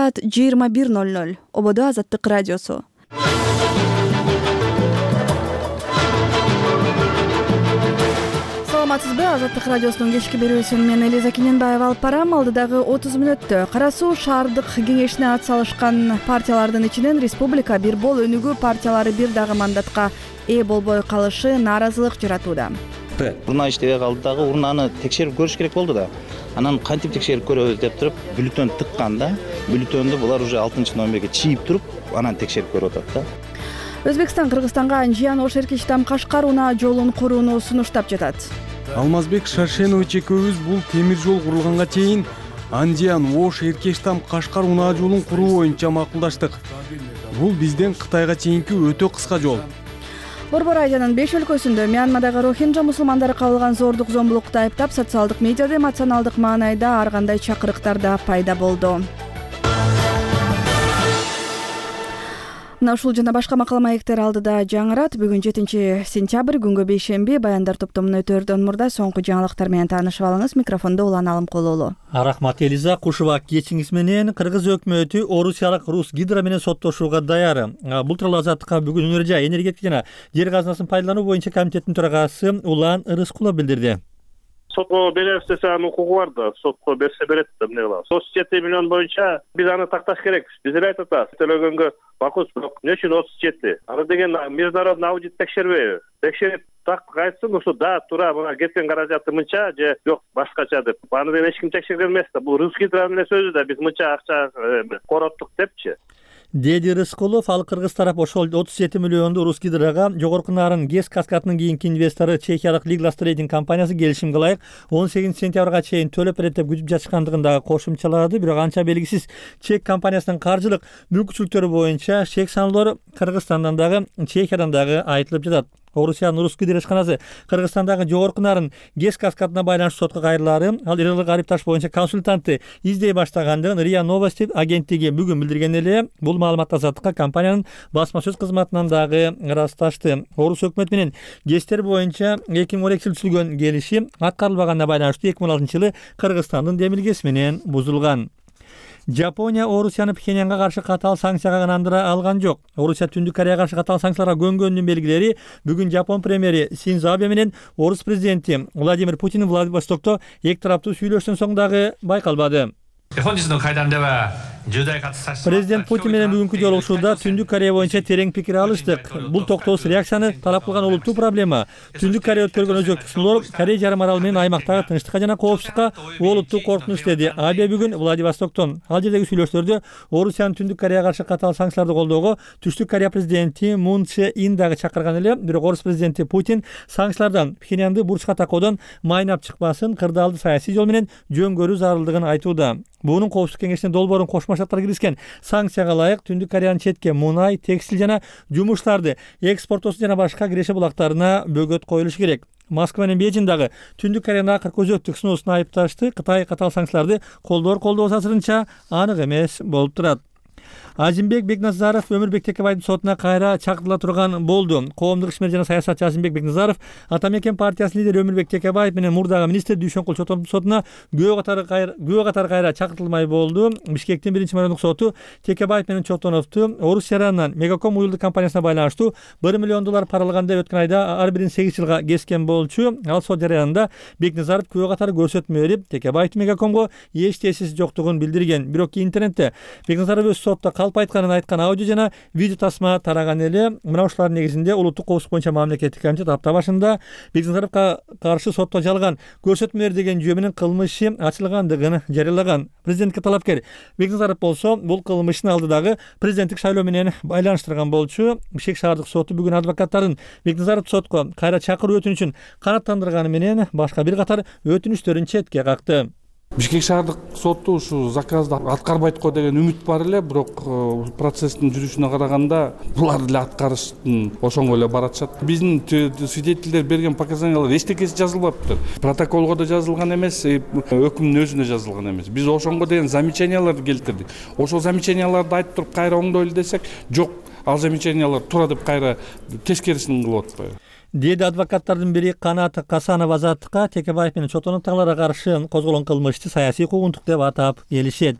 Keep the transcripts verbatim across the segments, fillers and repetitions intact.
саат жыйырма бир ноль ноль. Ободо Азаттык радиосу. Саламатсызбы? Азаттык радиосунун кечки берүүсүн мен Элиза Кененбаева алып барам. Алдыдагы отуз мүнөттө Кара Суу шаардык кеңешине ат салышкан партиялардын ичинен Республика бир бол өнүгүү партиялары бир дагы мандатка ээ болбой калышы нааразылык жаратууда. Урна иштебей калды дагы, урнаны текшерип көрүш керек болду да. Анан кантип текшерип көрөбүз деп туруп, бюллетень тыккан да. Бюллетенди булар уже алтынчы номерге чийип туруп, анан текшерип көрүп атат да. Өзбекстан Кыргызстанга Анжиян Ош-Эркечтам Кашкар унаа жолун курууну сунуштап жатат. Алмазбек Шаршенович экөөбүз бул темир жол курулганга чейин Анжиян Ош-Эркечтам Кашкар унаа жолун куруу боюнча макулдаштык. Бул бизден Кытайга чейинки өтө кыска жол. Борбор Азиянын беш өлкөсүндө Мьянмадагы рохинджа мусулмандары кабылган зордук зомбулукту айыптап, социалдык медиада эмоционалдык маанайда ар кандай чакырыктар да пайда болду. Мына ушул жана башка макала маектер алдыда жаңырат. Бүгүн жетинчи сентябрь, күнгө бейшемби. Баяндар топтомун өтөрдөн мурда соңку жаңылыктар менен таанышып алыңыз. Микрофондо Улан Алымкулуулу. Рахмат Элиза. Кушуба кечиңиз менен Кыргыз өкмөтү Орусиялык Русгидро менен соттошууга даяр. Бул тууралуу Азаттыкка бүгүн Өнөр жай энергетика жана жер казынасын пайдалануу боюнча комитеттин төрагасы Улан Рыскулов билдирди. Сотко беребиз десе анын укугу бар да, сотко берсе берет да, эмне кылабыз. отуз жети миллион боюнча биз аны такташ керекпиз. Биз эле айтып атабыз, төлөгөнгө макул, бирок эмне үчүн отуз жети? Аны деген международный аудит текшербейби? Текшерип так айтсын, ушу да, туура, мына кеткен каражаты мынча же жок башкача деп. Аны деген эч ким текшерген эмес да. Бул Русгидронун эле сөзү да, биз мынча акча короттук депчи. Деди Рыскулов, ал Кыргыз тарап ошол отуз жети миллионду Русгидрога жогорку нарын ГЭС каскадынын кийинки инвестору чехиялык Liglas Trading компаниясы келишимге ылайык он сегизинчи сентябрга чейин төлөп берет деп күтүп жатышкандыгын дагы кошумчалады. Бирок анча белгисиз чек компаниясынын каржылык мүмкүнчүлүктөрү боюнча чек саноолор Кыргызстандан дагы Чехиядан дагы айтылып жатат. Орусиянын Русгидро ишканасы Кыргызстандагы жогорку нарын ГЭС каскадына байланыштуу сотко кайрылаары, ал Ирылык Арипташ боюнча консультантты издей баштагандыгын РИА Новости агенттиги бүгүн билдирген эле. Бул маалыматты Азаттыкка компаниянын басма сөз кызматынан дагы ырасташты. Орус өкмөтү менен ГЭСтер боюнча эки миң он экинчи жылы түзүлгөн келишим аткарылбаганына байланыштуу эки миң он алтынчы жылы Кыргызстандын демилгеси менен бузулган. Жапония Орусияны Пхеньянга каршы катаал санкцияга ынандыра алган жок. Орусия Түндүк Кореяга каршы катаал санкцияларга көнгөнүнүн белгилери бүгүн Жапон премьери Синдзо Абе менен Орус президенти Владимир Путин Владивостокто эки тараптуу сүйлөштөн соң дагы байкалбады. Президент Путин менен бүгүнкү жолугушууда Түндүк Корея боюнча терең пикир алыштык. Бул токтоосуз реакцияны талап кылган олуттуу проблема. Түндүк Корея өткөргөн өзөктүк сыноолор Корея жарым аралы менен аймактагы тынчтыкка жана коопсуздукка олуттуу коркунуч деди Абе бүгүн Владивостоктон. Ал жердеги сүйлөштөрдө Орусиянын Түндүк Кореяга каршы катаал санкцияларды колдоого Түштүк Корея президенти Мун Чже Ин дагы чакырган эле. Бирок Орус президенти Путин санкциялардан Пхеньянды бурчка такоодон майнап чыкпасын, кырдаалды саясий жол менен жөнгөрүү зарылдыгын айтууда. Буунун коопсуздук кеңешине долбоорун Кошмо Штаттар киргизген санкцияга ылайык Түндүк Кореянын четке мунай, текстиль жана жумуштарды экспорттоосу жана башка киреше булактарына бөгөт коюлушу керек. Москва менен Бейжиң дагы Түндүк Кореянын акыркы өзөктүк сыноосун айыпташты. Кытай катаал санкцияларды колдоор колдобосу азырынча анык эмес болуп турат. Азимбек Бекназаров Өмүрбек Текебайдын сотуна кайра чакыртыла турган болду. Коомдук ишмер жана саясатчы Азимбек Бекназаров Ата Мекен партиясынын лидери Өмүрбек Текебаев менен мурдагы министр Дүйшөнкул Чотоновдун сотуна күбө катары кайра күбө катары кайра чакыртылмай болду. Бишкектин биринчи майондук соту Текебаев менен Чотоновду Орус жаранынан Мегаком уюлдук компаниясына байланыштуу бир миллион доллар паралаган деп өткөн айда ар бирин сегиз жылга кескен болчу. Ал сот жарыянында Бекназаров күбө катары көрсөтмө берип, Текебаевдин Мегакомго эч тесиси жоктугун билдирген. Бирок интернетте Бекназаров өз сотто калп айтканын айткан аудио жана видео тасма тараган эле. Мына ушулардын негизинде улуттук коопсуздук боюнча мамлекеттик комитет апта башында Бекназаровго каршы сотто жалган көрсөтмөлөр деген жүйө менен кылмышы ачылгандыгын жарыялаган. Президентке талапкер Бекназаров болсо бул кылмыштын алдыдагы президенттик шайлоо менен байланыштырган болчу. Бишкек шаардык соту бүгүн адвокаттардын Бекназаровду сотко кайра чакыруу өтүнүчүн канааттандырганы менен башка бир катар өтүнүчтөрүн четке какты. Бишкек шаардык соту ушу заказды аткарбайт го деген үмүт бар эле, бирок процесстин жүрүшүнө караганда булар эле аткарыштын ошоңго эле баратышат. Биздин свидетелдер берген показаниялар эчтекеси жазылбаптыр. Протоколго да жазылган эмес, өкүмдүн өзүнө жазылган эмес. Биз ошоңго деген замечанияларды келтирдик. Ошол замечанияларды айтып туруп кайра оңдойлу десек, жок, ал замечаниялар туура деп кайра тескерисин кылып атпайбы. Деди адвокаттардын бири Канат Касанов Азаттыкка Текебаев менен Чотоновдогуларга каршы козголгон кылмышты саясий куугунтук деп атап келишет.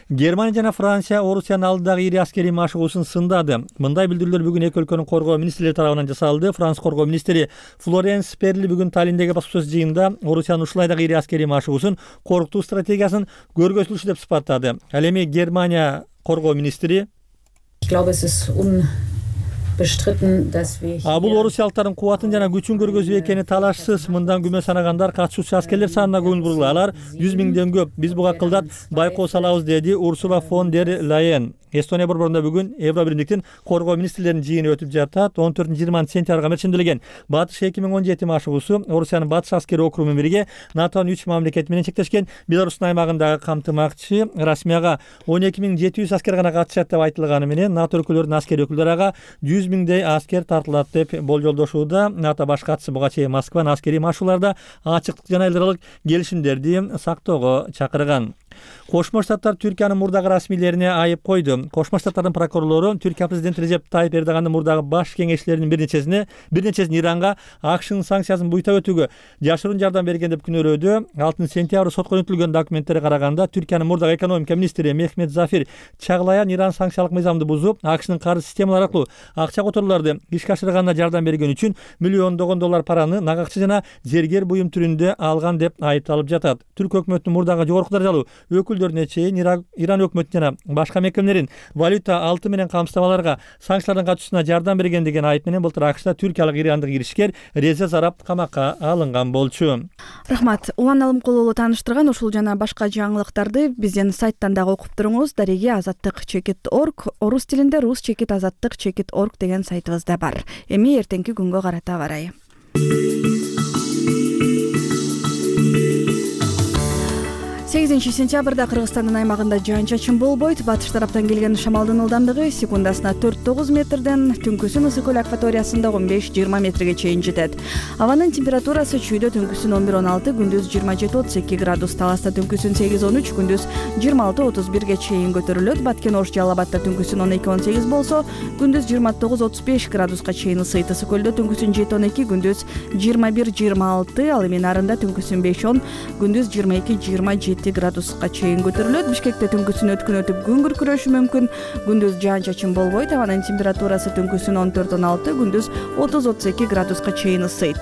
Германия жана Франция Орусиянын алдындагы ири аскерий машыгуусун сындады. Мындай билдирүүлөр бүгүн эки өлкөнүн коргоо министрлери тарабынан жасалды. Франц коргоо министри Флоренс Перли бүгүн Таллиндеги баспасөз жыйынында Орусиянын ушулай дагы ири аскерий машыгуусун коркутуу стратегиясын көргөзүлүшү деп сыпаттады. Ал эми Германия коргоо министри бул орусиялыктардын кубатын жана күчүн көргөзүү экени талашсыз. Мындан күмө санагандар катышуучу аскерлер санына көңүл бургула алар. жүз миңден көп. Биз буга кылдат байкоо салабыз, деди Урсула фон дер Лайен. Эстония борборунда бүгүн Евро биримдиктин коргоо министрлеринин жыйыны өтүп жатат. он төртүнчү жыйырманчы сентябрга мерчимделген батыш эки миң он жети машыгуусу Орусиянын батыш аскери округу менен бирге НАТОнун үч мамлекети менен чектешкен Беларустун аймагындагы камтымакчы. Расмияга он эки миң жети жүз аскер гана катышат деп айтылганы менен НАТО өлкөлөрүнүн аскери өкүлдөрү ага жүз миңдей аскер тартылат деп болжолдошууда. НАТО баш катчысы буга чейин Москванын аскерий машыгууларда ачыктык жана эл аралык келишимдерди сактоого чакырган. Кошмо Штаттар Түркиянын мурдагы расмийлерине айып койду. Кошмо Штаттардын прокурорлору Түркия президенти Режеп Тайип Эрдогандын мурдагы баш кеңешчилеринин бир нечесине бир нечесин Иранга АКШнын санкциясын буйта өтүүгө жашыруун жардам берген деп күнөөлөөдү. алтынчы сентябрь сотко жөнөтүлгөн документтерге караганда Түркиянын мурдагы экономика министри Мехмет Зафир Чаглаян Иран санкциялык мыйзамды бузуп, АКШнын карыз системалары аркылуу акча которууларды ишке ашырганына жардам берген үчүн миллиондогон доллар параны нагакчы жана зергер буюм түрүндө алган деп айыпталып жатат. Түрк өкмөтүнүн мурдагы жогорку даражалуу өкүлдөрүнө чейин Иран өкмөтү жана башка мекемелерин валюта алты менен камсыздабаларга санкциялардын катышуусуна жардам берген деген айып менен былтыр АКШда түркиялык ирандык киришкер Реза Зарап камакка алынган болчу. Рахмат. Улан Алымкулуулу тааныштырган ушул жана башка жаңылыктарды биздин сайттан дагы окуп туруңуз. Дареги азаттык чекит орг, орус тилинде рус чекит азаттык чекит орг деген сайтыбызда бар. Эми эртеңки күнгө карата барайы. сегизинчи сентябрда Кыргызстандын аймагында жаан-чачын болбойт. Батыш тараптан келген шамалдын ылдамдыгы секундасына төрт тогуз метрден, түнкүсүн ысык көл акваториясында он беш жыйырма метрге чейин жетет. Абанын температурасы чүйдө түнкүсүн он бир он алты, күндүз жыйырма жети отуз эки градус, таласта түнкүсүн сегиз он үч, күндүз жыйырма алты отуз бирге чейин көтөрүлөт. Баткен Ош Жалал Абадта түнкүсүн он эки он сегиз болсо, күндүз жыйырма тогуз отуз беш градуска чейин ысыйт. Ысык көлдө түнкүсүн жети он эки, күндүз жыйырма бир жыйырма алты, ал эми Нарында түнкүсүн беш он, күндүз жыйырма эки жыйырма жети градуска чейин көтөрүлөт. Бишкекте түнкүсүн өткүн өтүп күн күркүрөшү мүмкүн. Күндүз жаан-чачын болбойт. Абанын температурасы түнкүсүн он төрт он алты, күндүз отуз отуз эки градуска чейин ысыйт.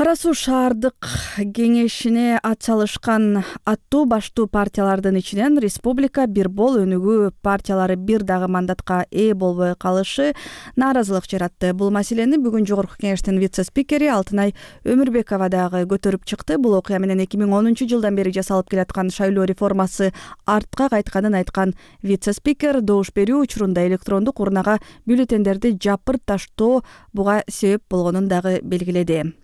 Кара Суу шаардык кеңешине ат салышкан аттуу баштуу партиялардын ичинен республика бир бол өнүгүү партиялары бир дагы мандатка ээ болбой калышы нааразылык жаратты. Бул маселени бүгүн Жогорку кеңештин вице-спикери Алтынай Өмүрбекова дагы көтөрүп чыкты. Бул окуя менен эки миң онунчу жылдан бери жасалып келаткан шайлоо реформасы артка кайтканын айткан вице-спикер добуш берүү учурунда электрондук урнага бюллетендерди жапырташтоо буга себеп болгонун дагы белгиледи.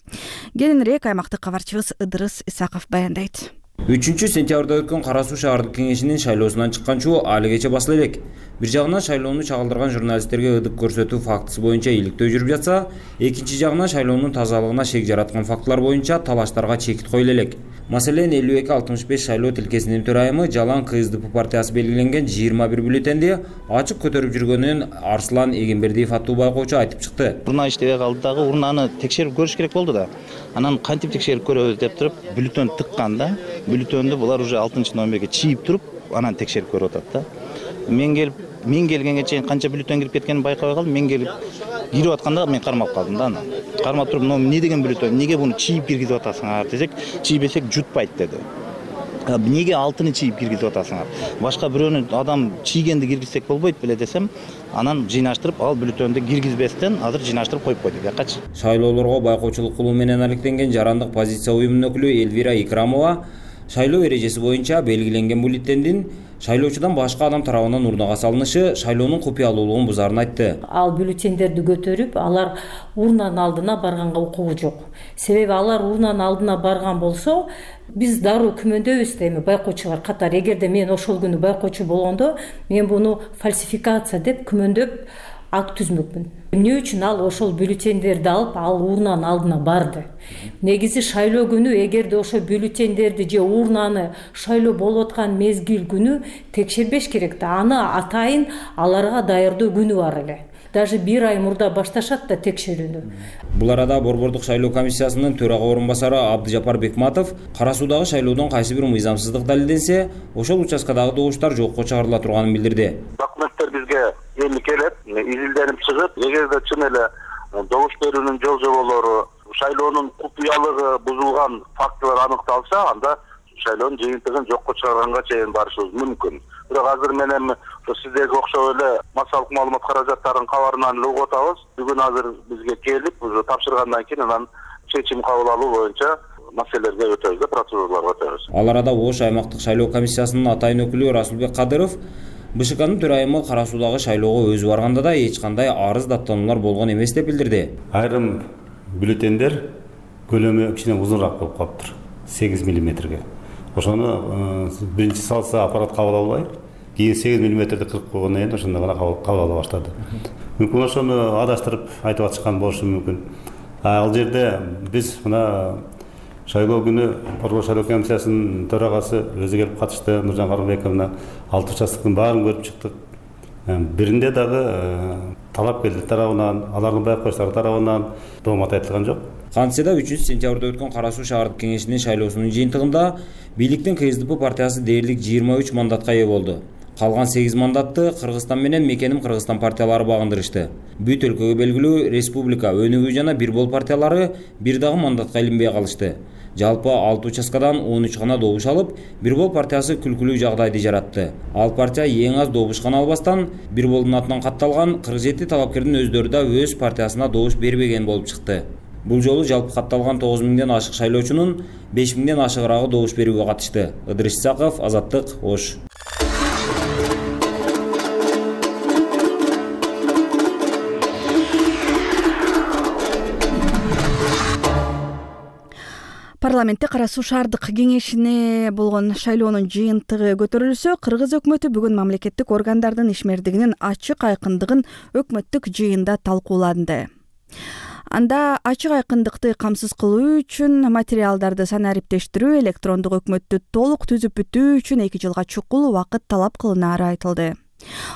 Кененирээк аймактык кабарчыбыз Ыдырыс Исаков баяндайт. үчүнчү сентябрда өткөн Кара Суу шаардык кеңешинин шайлоосунан чыккан чуу алигече басыла элек. Бир жагынан шайлоону чагылдырган журналисттерге ыдык көрсөтүү фактысы боюнча иликтөө жүрүп жатса, экинчи жагынан шайлоонун тазалыгына шек жараткан фактылар боюнча талаштарга чекит коюла элек. Маселен элүү эки алтымыш беш шайлоо тилкесинин төрайымы Жалаң КСДП партиясы белгиленген жыйырма бир бюллетенди ачык көтөрүп жүргөнүн Арслан Эгембердиев аттуу байкоочу айтып чыкты. Урна иштебей калды дагы, урнаны текшерип көрүш керек болду да. Анан кантип текшерип көрөбүз деп туруп, бюллетен тыкканда, бюллетенди булар уже алтынчы номерге чийип туруп, анан текшерип көрүп атат да. Мен келип, мен келгенге чейин канча бюллетен кирип кеткенин байкабай калдым. Мен келип кирип атканда мен кармап калдым да. Кармап туруп, "Но эмне деген бюллетен? Неге буну чийип киргизип атасыңар?" десек, "Чийбесек жутпайт" деди. "Неге алтыны чийип киргизип атасыңар? Башка бирөөнү адам чийгенди киргизсек болбойт беле" десем, анан жыйнаштырып, ал бюллетенди киргизбестен азыр жыйнаштырып коюп койду бuyакачы. Шайлоолорго байкоочулук кылуу менен алектенген жарандык позиция уюмунун өкүлү Элвира Икрамова шайлоо эрежеси боюнча белгиленген бюллетендин шайлоочудан башка адам тарабынан урнага салынышы шайлоонун купуялуулугун бузаарын айтты. Ал бюллетендерди көтөрүп, алар урнанын алдына барганга укугу жок. Себеби алар урнанын алдына барган болсо, биз дароо күмөндөбүз да, эми байкоочулар катары. Эгерде мен ошол күнү байкоочу болгондо, мен буну фальсификация деп күмөндөп акт түзмөкмүн. Эмне үчүн ал ошол бюллетендерди алып, ал урнанын алдына барды? Негизи шайлоо күнү эгерде ошо бюллетендерди же урнаны шайлоо болуп аткан мезгил күнү текшербеш керек да. Аны атайын аларга даярдоо күнү бар эле. даже бир ай мурда башташат да текшерүүнү. Бул арада Борбордук шайлоо комиссиясынын төрага орун басары Абдыжапар Бекматов кара суудагы шайлоодон кайсы бир мыйзамсыздык далилденсе, ошол участкадагы добуштар жокко чыгарыла турганын билдирди. Документтер бизге эми келет, изилденип чыгып, эгерде чын эле добуш берүүнүн жол жоболору, шайлоонун купуялыгы бузулган фактылар аныкталса, анда шайлоонун жыйынтыгын жокко чыгарганга чейин барышыбыз мүмкүн. Бирок азыр менен сиздерге окшоп эле массалык маалымат каражаттарынын кабарынан эле угуп атабыз. Бүгүн азыр бизге келип, уже тапшыргандан кийин анан чечим кабыл алуу боюнча маселелерге өтөбүз да, процедураларга өтөбүз. Ал арада Ош аймактык шайлоо комиссиясынын атайын өкүлү Расулбек Кадыров БШКнын төрайымы кара суудагы шайлоого өзү барганда да эч кандай арыз даттануулар болгон эмес деп билдирди. Айрым бюллетендер көлөмү кичине узунураак болуп калыптыр, сегиз миллиметрге. Ошону биринчи салса аппарат кабыл албай, кийин сегиз миллиметрди кырып койгондон кийин ошондо гана кабыл ала баштады. Мүмкүн ошону адаштырып айтып аткан болушу мүмкүн. Ал жерде биз мына шайлоо күнү Борбор шайлоо комиссиясынын төрагасы өзү келип катышты, Нуржан Карымбековна алты участоктун баарын көрүп чыктык. Биринде дагы талапкерлер тарабынан, алардын байкоочулары тарабынан доомат айтылган жок. Кантсе да үчүнчү сентябрда өткөн Кара Суу шаардык кеңешинин шайлоосунун жыйынтыгында бийликтин КСДП партиясы дээрлик жыйырма үч мандатка ээ болду. Калган сегиз мандатты Кыргызстан менен Мекеним Кыргызстан партиялары багындырышты. Бүт өлкөгө белгилүү Республика, Өнүгүү жана Бир-бол партиялары бир дагы мандатка илинбей калышты. Жалпы алты участкадан он үч гана добуш алып, Бир-бол партиясы күлкүлүү жагдайды жаратты. Ал партия эң аз добуш гана албастан, Бир-болдун атынан катталган кырк жети талапкердин өздөрү да өз партиясына добуш бербеген болуп чыкты. Бул жолу жалпы катталган тогуз миңден ашык шайлоочунун беш миңден ашыгыраагы добуш берүүгө катышты. Ыдырыш Исаков, Азаттык, Ош. Парламентте Кара Суу шаардык кеңешине болгон шайлоонун жыйынтыгы көтөрүлсө, Кыргыз өкмөтү бүгүн мамлекеттик органдардын ишмердигинин ачык айкындыгын өкмөттүк жыйында талкууланды. Анда ачык айкындыкты камсыз кылуу үчүн материалдарды санариптештирүү, электрондук өкмөттү толук түзүп бүтүү үчүн эки жылга чукул убакыт талап кылынаары айтылды.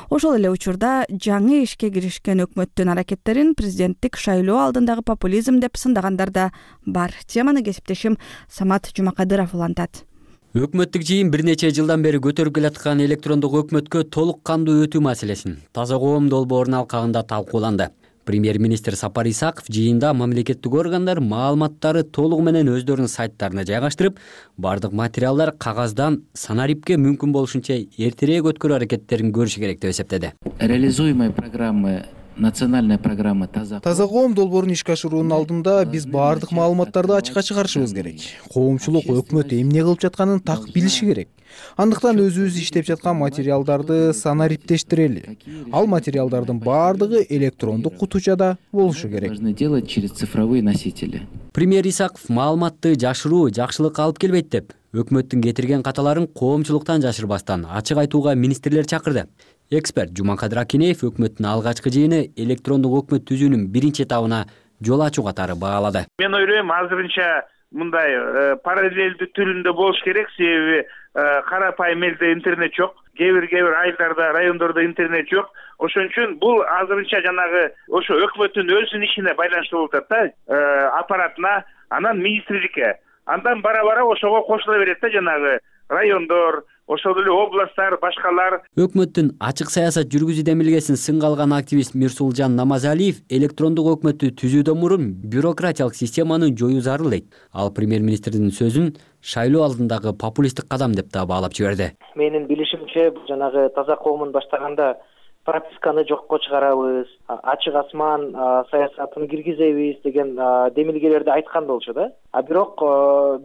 Ошол эле учурда жаңы ишке киришкен өкмөттүн аракеттерин президенттик шайлоо алдындагы популизм деп сындагандар да бар. Теманы кесиптешим Самат Жумакадыров улантат. Өкмөттүк жыйын бир нече жылдан бери көтөрүп келаткан электрондук өкмөткө толук кандуу өтүү маселесин Таза коом долбоорунун алкагында талкууланды. Премьер-министр Сапар Исаков жыйында мамлекеттик органдар маалыматтары толугу менен өздөрүнүн сайттарына жайгаштырып, бардык материалдар кагаздан санарипке мүмкүн болушунча эртерээк өткөрүү аракеттерин көрүш керек деп эсептеди. Реализуемые программы национальная программа Таза Таза коом долбоорун ишке ашыруунун алдында биз бардык маалыматтарды ачыкка чыгарышыбыз керек. Коомчулук өкмөт эмне кылып жатканын так билиши керек. Андыктан өзүбүз иштеп жаткан материалдарды санариптештирели. Ал материалдардын бардыгы электрондук кутучада болушу керек. Должны делать через цифровые носители. Премьер Исаков маалыматты жашыруу жакшылыкка алып келбейт деп, өкмөттүн кетирген каталарын коомчулуктан жашырбастан ачык айтууга министрлер чакырды. Эксперт Жумакадыр Акинеев өкмөттүн алгачкы жыйыны электрондук өкмөт түзүүнүн биринчи этабына жол ачуу катары баалады. Мен ойлойм, азырынча мындай параллелдүү түрүндө болуш керек, себеби карапайым элде интернет жок, кээ бир кээ бир айылдарда, райондордо интернет жок. Ошон үчүн бул азырынча жанагы ошо өкмөттүн өзүнүн ишине байланыштуу болуп атат да, аппаратына, анан министрликке. Андан бара-бара ошого кошула берет да, жанагы райондор, ошол эле областтар, башкалар. Өкмөттүн ачык саясат жүргүзүү демилгесин сынга алган активист Мирсулжан Намазалиев электрондук өкмөттү түзүүдөн мурун бюрократиялык системаны жоюу зарыл дейт. Ал премьер-министрдин сөзүн шайлоо алдындагы популисттик кадам деп да баалап жиберди. Менин билишимче, жанагы Таза коомун баштаганда прописканы жокко чыгарабыз, ачык асман саясатын киргизебиз деген демилгелерди айткан болчу да. А бирок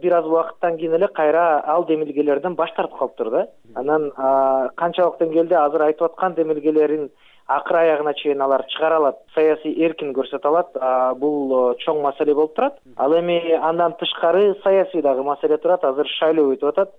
бир аз убакыттан кийин эле кайра ал демилгелерден баш тартып калыптыр да. Анан канчалык деңгээлде азыр айтып аткан демилгелерин акыр аягына чейин алар чыгара алат, саясий эркин көрсөтө алат. Бул чоң маселе болуп турат. Ал эми андан тышкары саясий дагы маселе турат. Азыр шайлоо өтүп атат.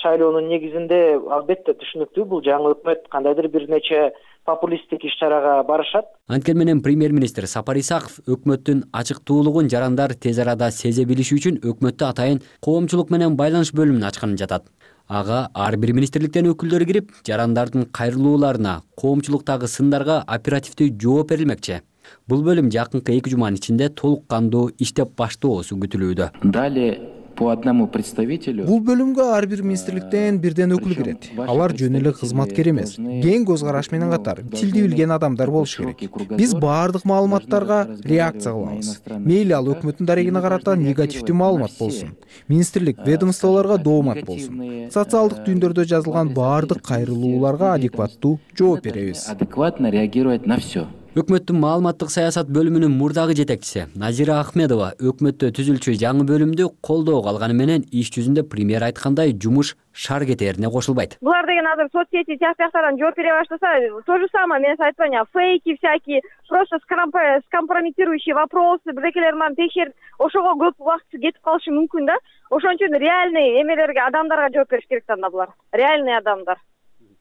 Шайлоонун негизинде албетте түшүнүктүү, бул жаңы өкмөт кандайдыр бир нече популисттик иш-чарага барышат. Анткени менен премьер-министр Сапар Исаков өкмөттүн ачыктуулугун жарандар тез арада сезе билиши үчүн өкмөттө атайын коомчулук менен байланыш бөлүмүн ачканын жатат. Ага ар бир министрликтен өкүлдөр кирип, жарандардын кайрылууларына, коомчулуктагы сындарга оперативдүү жооп берилмекчи. Бул бөлүм жакынкы эки жуманын ичинде толук кандуу иштеп баштоосу күтүлүүдө. Далее по одному представителю. Бул бөлүмгө ар бир министрликтен бирден өкүл кирет. Алар жөн эле кызматкер эмес, кең көз караш менен катар тилди билген адамдар болуш керек. Биз баардык маалыматтарга реакция кылабыз. Мейли ал өкмөттүн дарегине карата негативдүү маалымат болсун, министрлик, ведомстволорго доомат болсун. Социалдык түйүндөрдө жазылган баардык кайрылууларга адекваттуу жооп беребиз. Адекватно реагировать на все. Өкмөттүн маалыматтык саясат бөлүмүнүн мурдагы жетекчиси Назира Ахмедова өкмөттө түзүлчү жаңы бөлүмдү колдоого алганы менен иш жүзүндө премьер айткандай жумуш шар кетерине кошулбайт. Булар деген азыр соцсети тияктардан жооп бере баштаса, то же самое мен айтпайм, фейки всякие, просто скомпрометирующие вопросы, бирдекелер менен текшерип, ошого көп убакыт кетип калышы мүмкүн да. Ошон үчүн реальный эмелерге, адамдарга жооп бериш керек да булар. Реальный адамдар,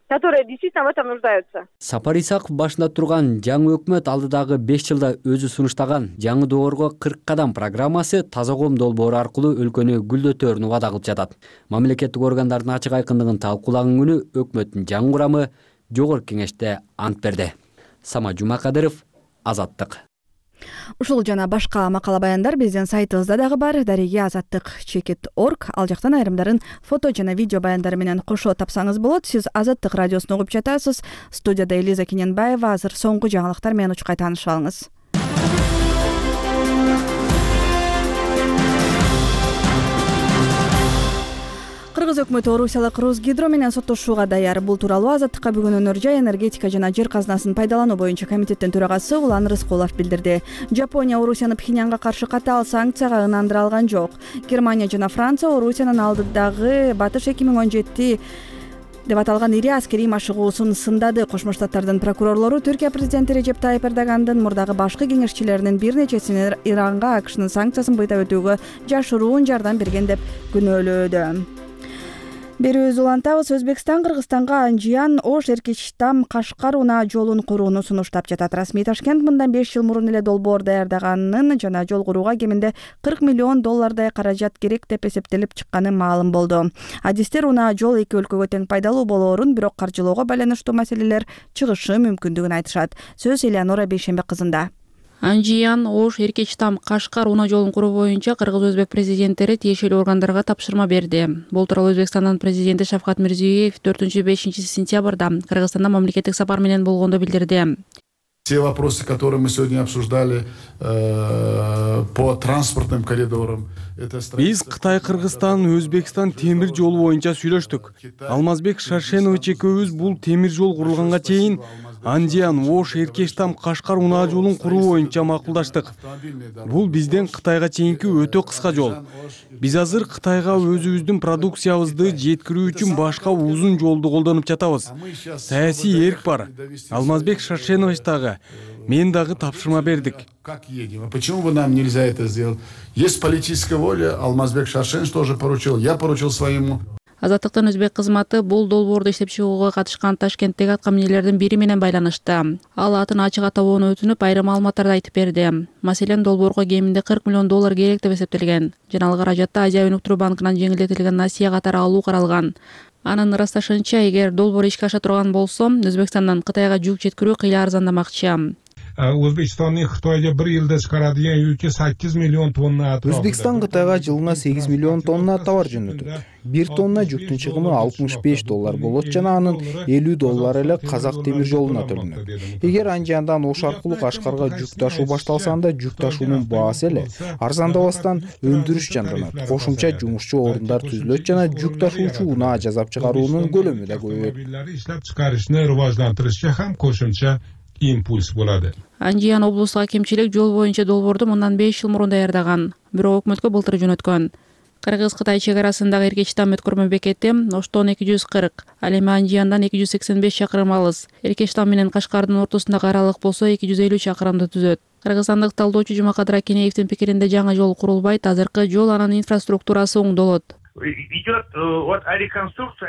которые действительно в этом нуждаются. Сапар Исаков башында турган жаңы өкмөт алдыдагы беш жылда өзү сунуштаган жаңы доорго кырк кадам программасы таза коом долбоору аркылуу өлкөнү гүлдөтөөрүн убада кылып жатат. Мамлекеттик органдардын ачык айкындыгын талкуулаган күнү өкмөттүн жаңы курамы жогорку кеңеште ант берди. Сама Жумакадыров, Азаттык. Ушул жана башка макала баяндар биздин сайтыбызда дагы бар. Дареги азаттык чекит точка орг. Ал жактан айрымдарын фото жана видео баяндары менен кошо тапсаңыз болот. Сиз Азаттык радиосун угуп жатасыз. Студияда Элиза Кененбаева. Азыр соңку жаңылыктар менен учкай таанышып алыңыз. Кыргыз өкмөтү Орусиялык Русгидро менен соттошууга даяр. Бул тууралуу Азаттыкка бүгүн Өнөр жай, энергетика жана жер казынасын пайдалануу боюнча комитеттин төрагасы Улан Рыскулов билдирди. Жапония Орусияны Пхеньянга каршы катаал санкцияга ынандыра алган жок. Германия жана Франция Орусиянын алдыдагы Батыш эки миң он жети деп аталган ири аскерий машыгуусун сындады. Кошмо Штаттардын прокурорлору Түркия президенти Режеп Тайып Эрдогандын мурдагы башкы кеңешчилеринин бир нечесинин Иранга АКШнын санкциясын быйта өтүүгө жашыруун жардам берген деп күнөөлөөдү. Берүүбүздү улантабыз. Өзбекстан Кыргызстанга Анжиян Ош Эркечтам Кашкар унаа жолун курууну сунуштап жатат. Расмий Ташкент мындан беш жыл мурун эле долбоор даярдаганын жана жол курууга кеминде кырк миллион доллардай каражат керек деп эсептелип чыкканы маалым болду. Адистер унаа жол эки өлкөгө тең пайдалуу болоорун, бирок каржылоого байланыштуу маселелер чыгышы мүмкүндүгүн айтышат. Сөз Элеонора Бейшембек кызында. Анжиян Ош Эркечтам Кашкар унаа жолун куруу боюнча кыргыз-өзбек президенттери тиешелүү органдарга тапшырма берди. Бул тууралуу Өзбекстандын президенти Шавкат Мирзиёев төртүнчү бешинчи сентябрда Кыргызстанда мамлекеттик сапар менен болгондо билдирди. Те вопросы, которые мы сегодня обсуждали э, по транспортным коридорам. Биз Кытай, Кыргызстан, Өзбекстан темир жолу боюнча сүйлөштүк. Алмазбек Шаршенович экөөбүз бул темир жол курулганга чейин Анжиян Ош Эркечтам Кашкар унаа жолун куруу боюнча макулдаштык. Бул бизден Кытайга чейинки өтө кыска жол. Биз азыр Кытайга өзүбүздүн продукциябызды жеткирүү үчүн башка узун жолду колдонуп жатабыз. Саясий эрк бар. Алмазбек Шаршенович дагы, мен дагы тапшырма бердик. Как едем? А почему бы нам нельзя это сделать? Есть политическая воля. Алмазбек Шаршенович тоже поручил. Я поручил своему. Азаттыктын өзбек кызматы бул долбоорду иштеп чыгууга катышкан Ташкенттеги аткаминерлердин бири менен байланышты. Ал атын ачык атабоону өтүнүп, айрым маалыматтарды айтып берди. Маселен, долбоорго кеминде кырк миллион доллар керек деп эсептелген. Жана ал каражатты Азия өнүктүрүү банкынан жеңилдетилген насыя катары алуу каралган. Анын ырасташынча, эгер долбоор ишке аша турган болсо, Өзбекстандан Кытайга жүк жеткирүү кыйла арзандамакчы. O'zbekistonning Xitoyga bir yilda chiqaradigan yuki sakkiz million tonna atrofida. O'zbekiston Xitoyga жылына сегиз миллион тонна товар жөнөтөт. бир тонна жүктүн чыгымы алтымыш беш доллар болот жана анын элүү доллары эле Казак темир жолуна төлөнөт. Эгер Анжияндан Ош аркылуу Кашкарга жүк ташуу башталса, анда жүк ташуунун баасы эле арзандабастан өндүрүш жанданат. Кошумча жумушчу орундар түзүлөт жана жүк ташуучу унаа жасап чыгаруунун көлөмү да көбөйөт. Иштеп чыгарышны рivojlantirishga ham qo'shimcha импульс bo'ladi. Анжиян облустук акимчилик жол боюнча долбоорду мындан беш жыл мурун даярдаган, бирок өкмөткө былтыр жөнөткөн. Кыргыз-Кытай чек арасындагы Эркечтам өткөрмө бекети Оштон эки жүз кырк, ал эми Анжияндан эки жүз сексен беш чакырым алыс. Эркечтам менен Кашкардын ортосундагы аралык болсо эки жүз элүү чакырымды түзөт. Кыргызстандык талдоочу Жумакадыр Акенеевдин пикиринде жаңы жол курулбайт, азыркы жол анын инфраструктурасы оңдолот.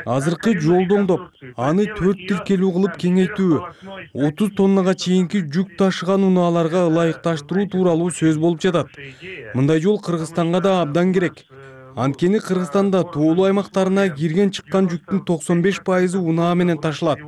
Азыркы жолду оңдоп, аны төрт тиркелүү кылып кеңейтүү, отуз тоннага чейинки жүк ташыган унааларга ылайыкташтыруу тууралуу сөз болуп жатат. Мындай жол Кыргызстанга да абдан керек. Анткени Кыргызстанда тоолуу аймактарына кирген чыккан жүктүн токсон беш пайызы унаа менен ташылат.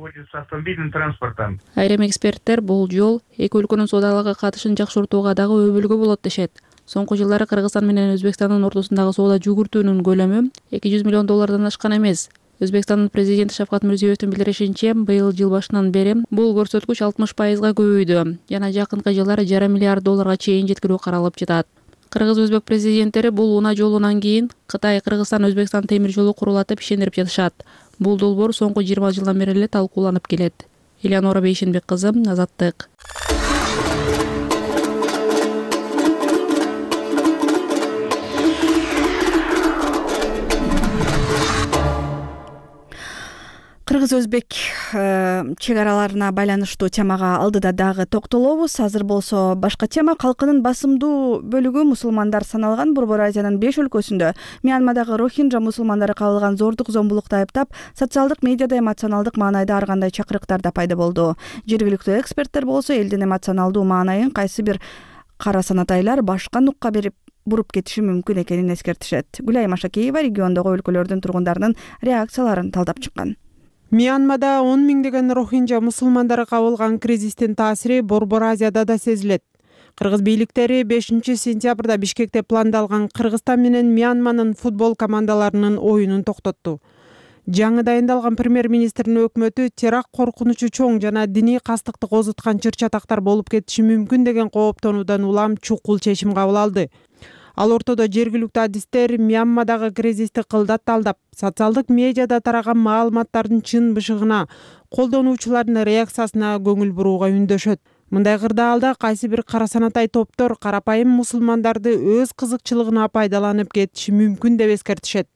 Айрым эксперттер бул жол эки өлкөнүн соодалык катышын жакшыртууга дагы өбөлгө болот дешет. Соңку жылдары Кыргызстан менен Өзбекстандын ортосундагы соода жүгүртүүнүн көлөмү эки жүз миллион доллардан ашкан эмес. Өзбекстандын президенти Шавкат Мирзиёевдин билдиришинче, быйыл жыл башынан бери бул көрсөткүч алтымыш пайызга көбөйдү жана жакынкы жылдары жарым миллиард долларга чейин жеткирүү каралып жатат. Кыргыз-Өзбек президенттери бул унаа жолунан кийин Кытай, Кыргызстан, Өзбекстан темир жолу курулатып ишендирип жатышат. Бул долбоор соңку жыйырма жылдан бери эле талкууланып келет. Элеонора Бейшенбек кызы, Азаттык. Кыргыз-Өзбек чек араларына байланыштуу темага алдыда дагы токтолобуз. Азыр болсо башка тема. Калкынын басымдуу бөлүгү мусулмандар саналган Борбор Азиянын беш өлкөсүндө Мьянмадагы рохинджа мусулмандары кабылган зордук зомбулукту айыптап, социалдык медиада эмоционалдык маанайда ар кандай чакырыктар да пайда болду. Жергиликтүү эксперттер болсо элдин эмоционалдуу маанайын кайсы бир кара санатайлар башка нукка берип буруп кетиши мүмкүн экенин эскертишет. Гүлайым Ашакеева региондогу өлкөлөрдүн тургундарынын реакцияларын талдап чыккан. Мьянмада он миңдеген рохинджа мусулмандары кабылган кризистин таасири Борбор Азияда да сезилет. Кыргыз бийликтери бешинчи сентябрда Бишкекте пландалган Кыргызстан менен Мьянманын футбол командаларынын оюнун токтотту. Жаңы дайындалган премьер-министрдин өкмөтү теракт коркунучу чоң жана диний кастыкты козуткан чыр-чатактар болуп кетиши мүмкүн деген кооптонуудан улам чукул чечим кабыл алды. Ал ортодо жергиликтүү адистер Мьянмадагы кризисти кылдат талдап, социалдык медиада тараган маалыматтардын чын бышыгына, колдонуучулардын реакциясына көңүл бурууга үндөшөт. Мындай кырдаалда кайсы бир кара санатай топтор карапайым мусулмандарды өз кызыкчылыгына пайдаланып кетиши мүмкүн деп эскертишет.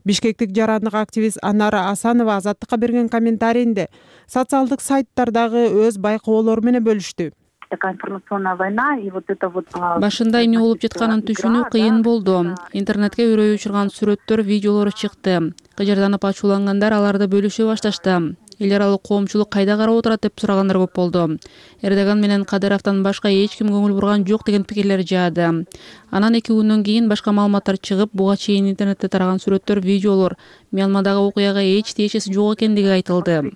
Бишкектик жарандык активист Анара Асанова Азаттыкка берген комментарийинде социалдык сайттардагы өз байкоолору менен бөлүштү. Такая информационная война и вот это вот башында эмне болуп жатканын түшүнүү кыйын болду. Интернетке үрөй учурган сүрөттөр, видеолор чыкты. Кыжырданып ачуулангандар аларды бөлүшө башташты. Эл аралык коомчулук кайда карап отурат деп сурагандар көп болду. Эрдоган менен Кадыровдон башка эч ким көңүл бурган жок деген пикирлер жаады. Анан эки күндөн кийин башка маалыматтар чыгып, буга чейин интернетте тараган сүрөттөр, видеолор Мьянмадагы окуяга эч тиешеси жок экендиги айтылды.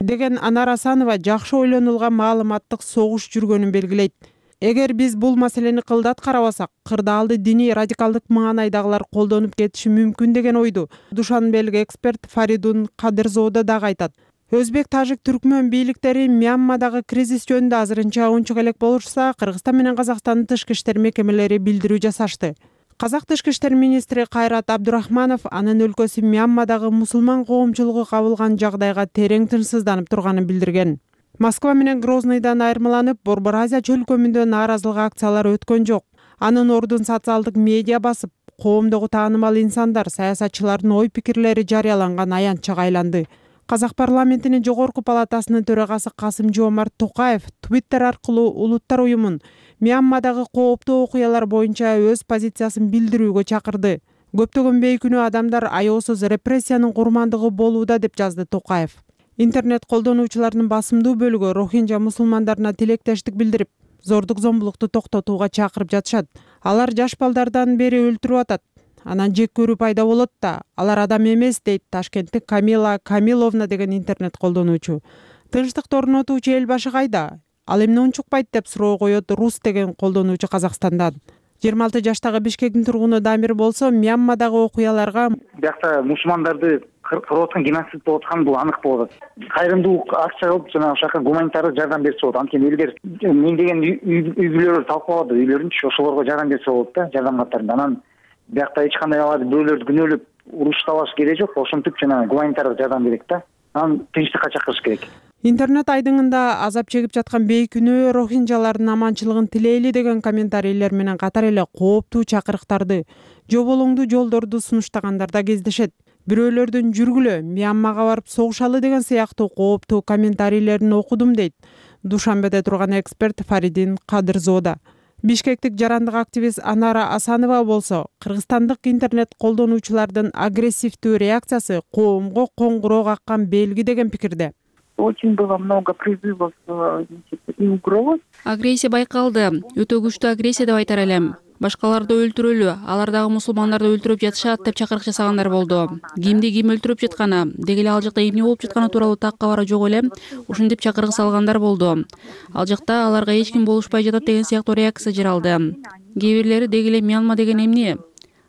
Деген Анар Асанова жакшы ойлонулган маалыматтык согуш жүргөнүн белгилейт. Эгер биз бул маселени кылдат карабасак, кырдаалды диний радикалдык маанайдагылар колдонуп кетиши мүмкүн деген ойду Душанбелик эксперт Фаридун Кадырзода дагы айтат. Өзбек, тажик, түркмөн бийликтери Мьянмадагы кризис жөнүндө азырынча унчук элек болушса, Кыргызстан менен Казакстандын тышкы иштер мекемелери билдирүү жасашты. Казак тышкы иштер министри Кайрат Абдурахманов анын өлкөсү Мьянмадагы мусулман коомчулугу кабылган жагдайга терең тынчсызданып турганын билдирген. Москва менен Грозныйдан айырмаланып, Борбор Азия чөлкөмүндө нааразылык акциялары өткөн жок. Анын ордун социалдык медиа басып, коомдогу таанымал инсандар, саясатчылардын ой пикирлери жарыяланган аянтчага айланды. Казак парламентинин жогорку палатасынын төрагасы Касым-Жомарт Токаев Твиттер аркылуу улуттар уюмун Мьянмадагы кооптуу окуялар боюнча өз позициясын билдирүүгө чакырды. Көптөгөн бейкүнөө адамдар аяосуз репрессиянын курмандыгы болууда деп жазды Токаев. Интернет колдонуучулардын басымдуу бөлүгү рохинджа мусулмандарына тилектештик билдирип, зордук зомбулукту токтотууга чакырып жатышат. Алар жаш балдардан бери өлтүрүп атат. Анан жек көрүү пайда болот да, алар адам эмес, дейт Ташкенттик Камила Камиловна деген интернет колдонуучу. Тынчтыкты орнотуучу эл башы кайда? Ал эмне унчукпайт деп суроо коет Рус деген колдонуучу Казакстандан. жыйырма алты жаштагы Бишкектин тургуну Дамир болсо, Мьянмадагы окуяларга биякта мусулмандарды кырып аткан геноцид болуп атканы бул анык болот. Кайрымдуулук акча кылып жана ошака гуманитардык жардам берсе болот. Анткени элдер миңдеген үй бүлөлөр талкалады, үйлөрүнчү ошолорго жардам берсе болот да, жардам каттарында. Анан биякта эч кандай аларды бөөлөрдү күнөөлөп уруштабаш кереги жок, ошентип жана гуманитардык жардам керек да. Анан тынчтыкка чакырыш керек. Интернет айдыңында азап чегип жаткан бейкүнөө рохинджалардын аманчылыгын тилейли деген комментарийлер менен катар эле кооптуу чакырыктарды, жоболоңдуу жолдорду сунуштагандар да кездешет. Бирөөлөрдүн жүргүлө, Мьянмага барып согушалы деген сыяктуу кооптуу комментарийлерин окудум, дейт Душанбеде турган эксперт Фаридин Кадырзода. Бишкектик жарандык активист Анара Асанова болсо, кыргызстандык интернет колдонуучулардын агрессивдүү реакциясы коомго коңгуроо каккан белги деген пикирде. Очень было много призывов и угроз. Агрессия байкалды. Өтө күчтүү агрессия деп айтар элем. Башкаларды өлтүрөлү, алар дагы мусулмандарды өлтүрүп жатышат деп чакырык жасагандар болду. Кимди ким өлтүрүп жатканы, деги эле ал жакта эмне болуп жатканы тууралуу так кабары жок эле ушинтип чакырык салгандар болду. Ал жакта аларга эч ким болушпай жатат деген сыяктуу реакция жаралды. Кээ бирлери деги эле Мьянма деген эмне?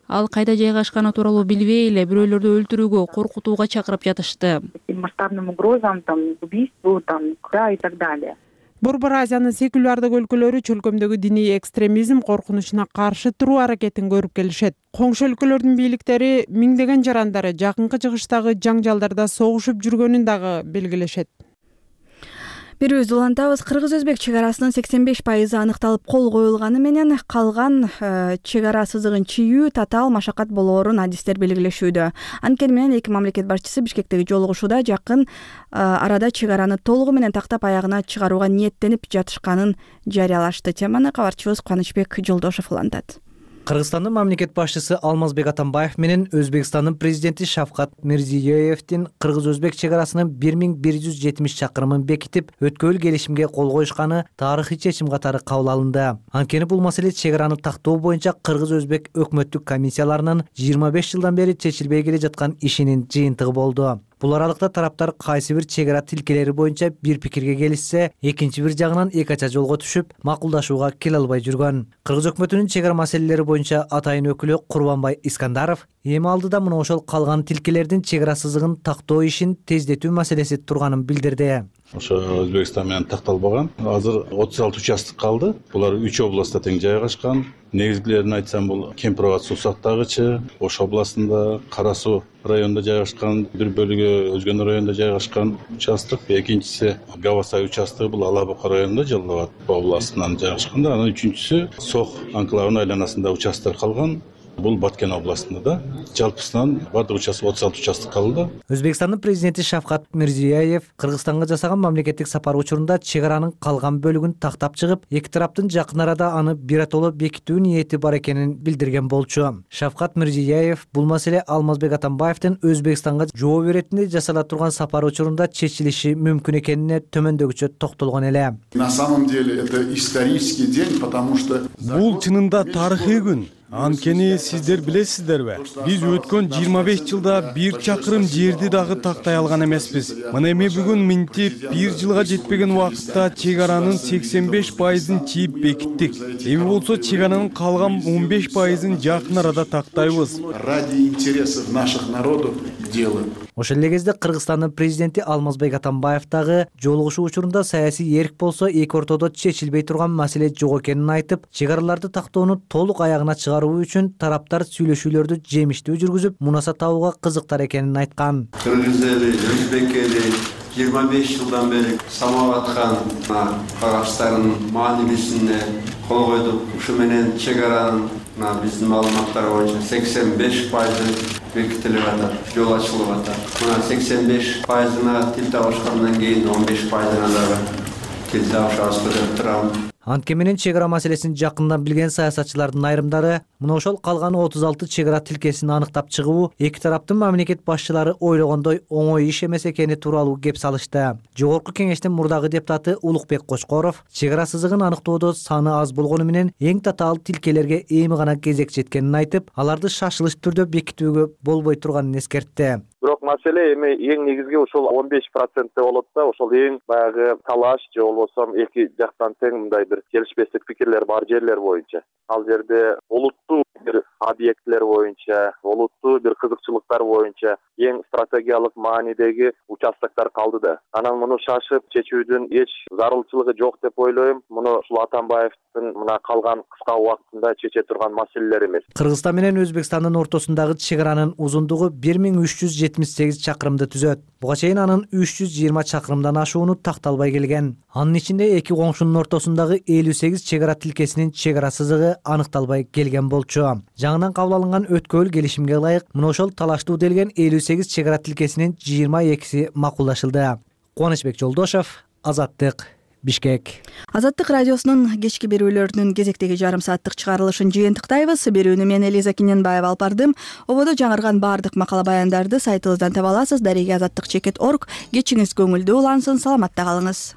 Ал кайда жайгашканы тууралуу билбей эле бирөөлөрдү өлтүрүүгө, коркутууга чакырып жатышты. Масштабным угрозам, там, убийству, там, да, и так далее. Борбор Азиянын секулярдык өлкөлөрү чөлкөмдөгү диний экстремизм коркунучуна каршы туруу аракетин көрүп келишет. Коңшу өлкөлөрдүн бийликтери миңдеген жарандары жакынкы чыгыштагы жаңжалдарда согушуп жүргөнүн дагы белгилешет. Бирөөбүздү улантабыз. Кыргыз-өзбек чек арасынын сексен беш пайызы аныкталып кол коюлганы менен калган чек ара сызыгын чийүү татаал машакат болоорун адистер белгилешүүдө. Анткени менен эки мамлекет башчысы Бишкектеги жолугушууда жакын арада чек араны толугу менен тактап аягына чыгарууга ниеттенип жатышканын жарыялашты. Теманы кабарчыбыз Кубанычбек Жолдошов улантат. Кыргызстандын мамлекет башчысы Алмазбек Атамбаев менен Өзбекстандын президенти Шавкат Мирзиёевдин кыргыз-өзбек чек арасынын бир миң бир жүз жетимиш чакырымын бекитип, өткөрүл келишимге кол коюшканы тарыхый чечим катары кабыл алынды. Анткени бул маселе чек араны тактоо боюнча кыргыз-өзбек өкмөттүк комиссияларынын жыйырма беш жылдан бери чечилбей келе жаткан ишинин жыйынтыгы болду. Бул аралыкта тараптар кайсы бир чек ара тилкелери боюнча бир пикирге келишсе, экинчи бир жагынан эки ача жолго түшүп, макулдашууга келе албай жүргөн. Кыргыз өкмөтүнүн чек ара маселелери боюнча атайын өкүлү Курбанбай Искандаров эми алдыда мына ошол калган тилкелердин чек ара сызыгын тактоо ишин тездетүү маселеси турганын билдирди. Ошо Өзбекстан менен такталбаган. Азыр отуз алты участок калды. Булар үч областта тең жайгашкан. Негизгилерин айтсам, бул Кемпир-Абад суу сактагычы, Ош областында, Кара суу районунда жайгашкан, бир бөлүгү Өзгөн районунда жайгашкан участок. Экинчиси Гавасай участогу, бул Ала Бука районунда, Жалал Абад областынан жайгашкан. Анан үчүнчүсү Сох анклавынын айланасында участок калган. Бул Баткен областында да. Жалпысынан бардык участок отуз алты участок калды. Өзбекстандын президенти Шавкат Мирзиёев Кыргызстанга жасаган мамлекеттик сапар учурунда чек аранын калган бөлүгүн тактап чыгып, эки тараптын жакын арада аны биротоло бекитүү ниети бар экенин билдирген болчу. Шавкат Мирзиёев бул маселе Алмазбек Атамбаевдин Өзбекстанга жооп беретинде жасала турган сапар учурунда чечилиши мүмкүн экенине төмөндөгүчө токтолгон эле. На самом деле это исторический день, потому что бул чынында тарыхый күн. Анткени сиздер билесиздерби, биз өткөн жыйырма беш жылда бир чакырым жерди дагы тактай алган эмеспиз. Мына эми бүгүн минтип бир жылга жетпеген убакытта чек аранын сексен беш пайызын чийип бекиттик. Эми болсо чек аранын калган он беш пайызын жакын арада тактайбыз. Ради интересов наших народов делаем. Ошол эле кезде Кыргызстандын президенти Алмазбек Атамбаев дагы жолугушуу учурунда саясий эрк болсо эки ортодо чечилбей турган маселе жок экенин айтып, чек араларды тактоону толук аягына чыгаруу үчүн тараптар сүйлөшүүлөрдү жемиштүү жүргүзүп, мунаса табууга кызыктар экенин айткан. Кыргыз эли, Өзбек эли жыйырма беш жылдан бери самап аткан кагачтардын маанилүүсүнө кол койдук. Ушу менен чек аранын биздин маалыматтар боюнча сексен беш пайызы бекитилип атат, жол ачылып атат. Мына сексен беш пайызына тил табышкандан кийин он беш пайызына дагы тил табышабызбы деп турам. Анткени менен чек ара маселесин жакындан билген саясатчылардын айрымдары мына ошол калган отуз алты чек ара тилкесин аныктап чыгуу эки тараптын мамлекет башчылары ойлогондой оңой иш эмес экени тууралуу кеп салышты. Жогорку кеңештин мурдагы депутаты Улукбек Кочкоров чек ара сызыгын аныктоодо саны аз болгону менен эң татаал тилкелерге эми гана кезек жеткенин айтып, аларды шашылыш түрдө бекитүүгө болбой турганын эскертти. Бирок маселе эми эң негизги ошол он беш процентте болот да, ошол эң баягы талаш же болбосо эки жактан тең мындай бир келишпестик пикирлер бар жерлер боюнча. Ал жерде олуттуу бир объектилер боюнча, олуттуу бир кызыкчылыктар боюнча эң стратегиялык маанидеги участоктор калды да. Анан муну шашып чечүүдүн эч зарылчылыгы жок деп ойлойм. Муну ушул Атамбаевдин мына калган кыска убактында чече турган маселелер эмес. Кыргызстан менен Өзбекстандын ортосундагы чек аранын узундугу бир миң үч жүз жетимиш сегиз чакырымды түзөт. Буга чейин анын үч жүз жыйырма чакырымдан ашууну такталбай келген. Анын ичинде эки коңшунун ортосундагы элүү сегиз чек ара тилкесинин чек ара сызыгы аныкталбай келген болчу. Жаңыдан кабыл алынган өткөрүл келишимге ылайык мына ошол талаштуу делген элүү сегиз чек ара тилкесинин жыйырма экиси макулдашылды. Кубанычбек Жолдошов, Азаттык, Бишкек. Азаттык радиосунун кечки берүүлөрүнүн кезектеги жарым сааттык чыгарылышын жыйынтыктайбыз. Берүүнү мен Элиза Киненбаева алып бардым. Ободо жаңырган баардык макала баяндарды сайтыбыздан таба аласыз. Дареги азаттык чекит точка орг. Кечиңиз көңүлдүү улансын, саламатта калыңыз.